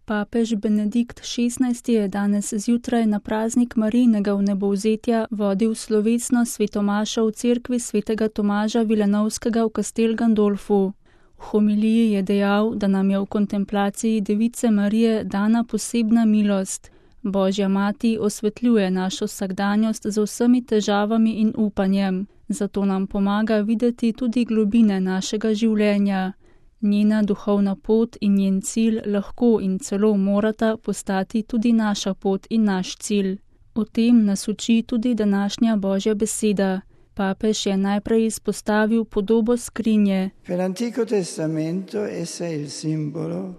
Papež Benedikt XVI je danes zjutraj na praznik Marijinega vnebovzetja vodil slovesno svetomašo v cerkvi svetega Tomaža Vilanovskega v Castel Gandolfu. V homiliji je dejal, da nam je v kontemplaciji Device Marije dana posebna milost. Božja mati osvetljuje našo vsakdanjost z vsemi težavami in upanjem, zato nam pomaga videti tudi globine našega življenja. Njena duhovna pot in njen cilj lahko in celo morata postati tudi naša pot in naš cilj. O tem nas uči tudi današnja Božja beseda. Papež je najprej izpostavil podobo skrinje.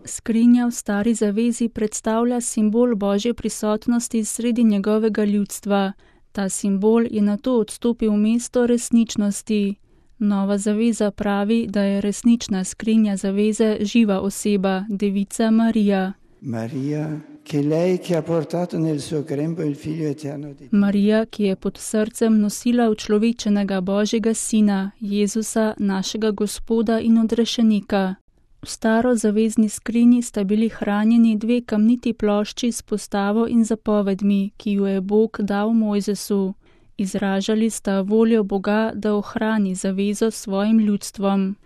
Skrinja v Stari zavezi predstavlja simbol Božje prisotnosti sredi njegovega ljudstva. Ta simbol je nato odstopil v mesto resničnosti. Nova zaveza pravi, da je resnična skrinja zaveze živa oseba, Devica Marija. Marija, ki je pod srcem nosila učlovečenega Božjega Sina, Jezusa, našega Gospoda in odrešenika. V starozavezni skrinji sta bili hranjeni dve kamniti plošči s postavo in zapovedmi, ki ju je Bog dal Mojzesu. Izražali sta voljo Boga, da ohrani zavezo s svojim ljudstvom.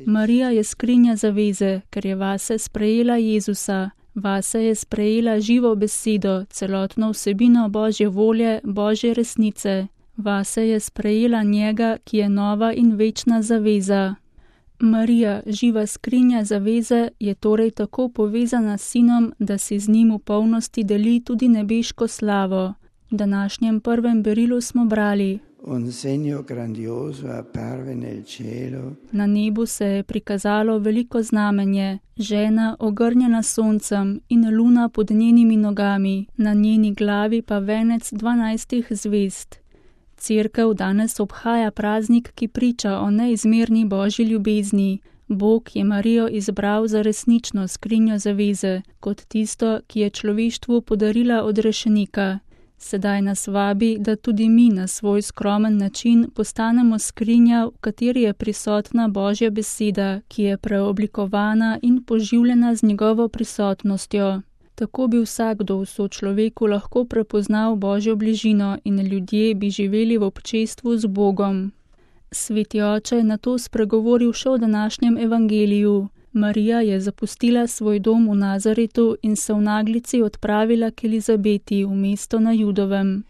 Marija je skrinja zaveze, ker je vase sprejela Jezusa. Vase je sprejela živo besedo, celotno vsebino Božje volje, Božje resnice. Vase je sprejela njega, ki je nova in večna zaveza. Marija, živa skrinja zaveze, je torej tako povezana s Sinom, da si z njim v polnosti deli tudi nebeško slavo. V današnjem prvem berilu smo brali: Na nebu se je prikazalo veliko znamenje, žena ogrnjena soncem in luna pod njenimi nogami, na njeni glavi pa venec 12 zvezd. Cerkev danes obhaja praznik, ki priča o neizmerni Božji ljubezni. Bog je Marijo izbral za resnično skrinjo zaveze, kot tisto, ki je človeštvu podarila odrešenika. Sedaj nas vabi, da tudi mi na svoj skromen način postanemo skrinja, v kateri je prisotna Božja beseda, ki je preoblikovana in poživljena z njegovo prisotnostjo. Tako bi vsakdo v sočloveku lahko prepoznal Božjo bližino in ljudje bi živeli v občestvu z Bogom. Sveti oče je nato spregovoril še o današnjem evangeliju. Marija je zapustila svoj dom v Nazaretu in se v naglici odpravila k Elizabeti v mesto na Judovem.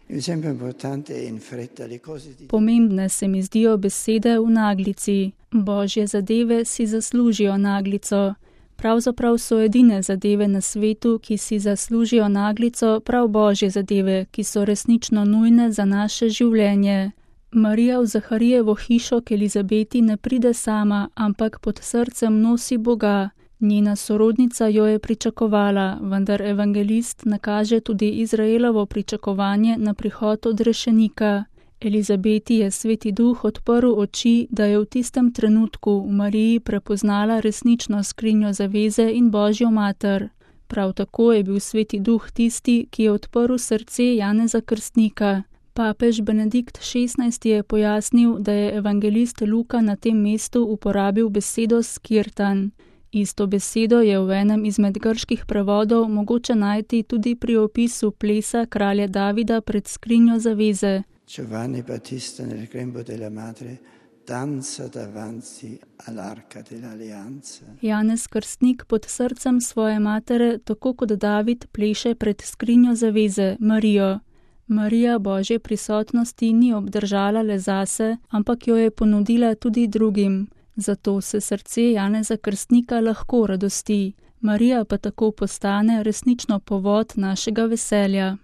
Pomembne se mi zdijo besede v naglici. Božje zadeve si zaslužijo naglico. Pravzaprav so edine zadeve na svetu, ki si zaslužijo naglico, prav Božje zadeve, ki so resnično nujne za naše življenje. Marija v Zaharijevo hišo k Elizabeti ne pride sama, ampak pod srcem nosi Boga. Njena sorodnica jo je pričakovala, vendar evangelist nakaže tudi Izraelovo pričakovanje na prihod odrešenika. Elizabeti je Sveti Duh odprl oči, da je v tistem trenutku v Mariji prepoznala resnično skrinjo zaveze in Božjo mater. Prav tako je bil Sveti Duh tisti, ki je odprl srce Janeza Krstnika. Papež Benedikt XVI je pojasnil, da je evangelist Luka na tem mestu uporabil besedo skirtan. Isto besedo je v enem izmed grških prevodov mogoče najti tudi pri opisu plesa kralja Davida pred skrinjo zaveze. Giovanni Battista nel grembo della madre danza davanti all'arca dell'alleanza. Janez Krstnik pod srcem svoje matere, tako kot David, pleše pred skrinjo zaveze, Marijo. Marija Božje prisotnosti ni obdržala le zase, ampak jo je ponudila tudi drugim. Zato se srce Janeza Krstnika lahko radosti. Marija pa tako postane resnično povod našega veselja.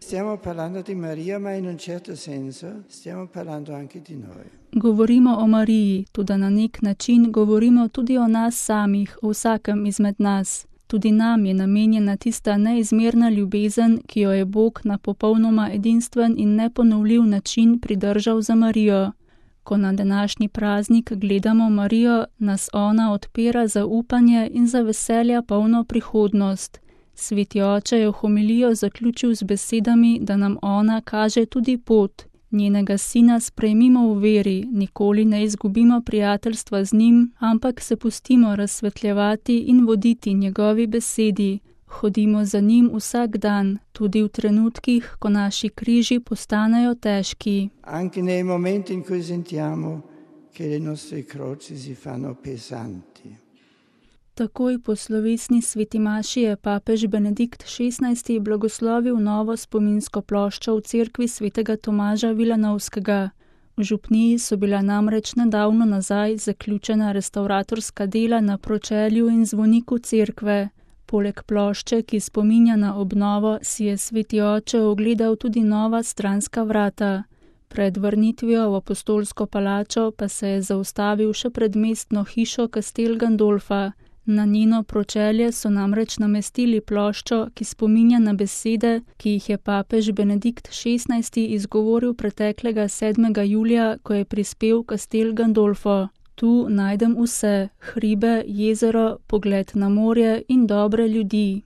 Govorimo o Mariji, tudi na nek način govorimo tudi o nas samih, o vsakem izmed nas. Tudi nam je namenjena tista neizmerna ljubezen, ki jo je Bog na popolnoma edinstven in neponovljiv način pridržal za Marijo. Ko na današnji praznik gledamo Marijo, nas ona odpira za upanje in za veselja polno prihodnost. Sveti oče je homilijo zaključil z besedami, da nam ona kaže tudi pot. Njenega sina sprejmimo v veri, nikoli ne izgubimo prijateljstva z njim, ampak se pustimo razsvetljevati in voditi njegovi besedi. Hodimo za njim vsak dan, tudi v trenutkih, ko naši križi postanejo težki. Anche nei momenti in cui sentiamo che le nostre croci si fanno pesanti. Takoj po slovesni sveti maši je papež Benedikt XVI. Blagoslovil novo spominsko ploščo v cerkvi svetega Tomaža Vilanovskega. V župniji so bila namreč nedavno nazaj zaključena restavratorska dela na pročelju in zvoniku cerkve. Poleg plošče, ki spominja na obnovo, si je sveti oče ogledal tudi nova stranska vrata. Pred vrnitvijo v apostolsko palačo pa se je zaustavil še pred mestno hišo Castel Gandolfa. Na njeno pročelje so namreč namestili ploščo, ki spominja na besede, ki jih je papež Benedikt XVI. Izgovoril preteklega 7. julija, ko je prispel v Castel Gandolfo. Tu najdem vse, hribe, jezero, pogled na morje in dobre ljudi.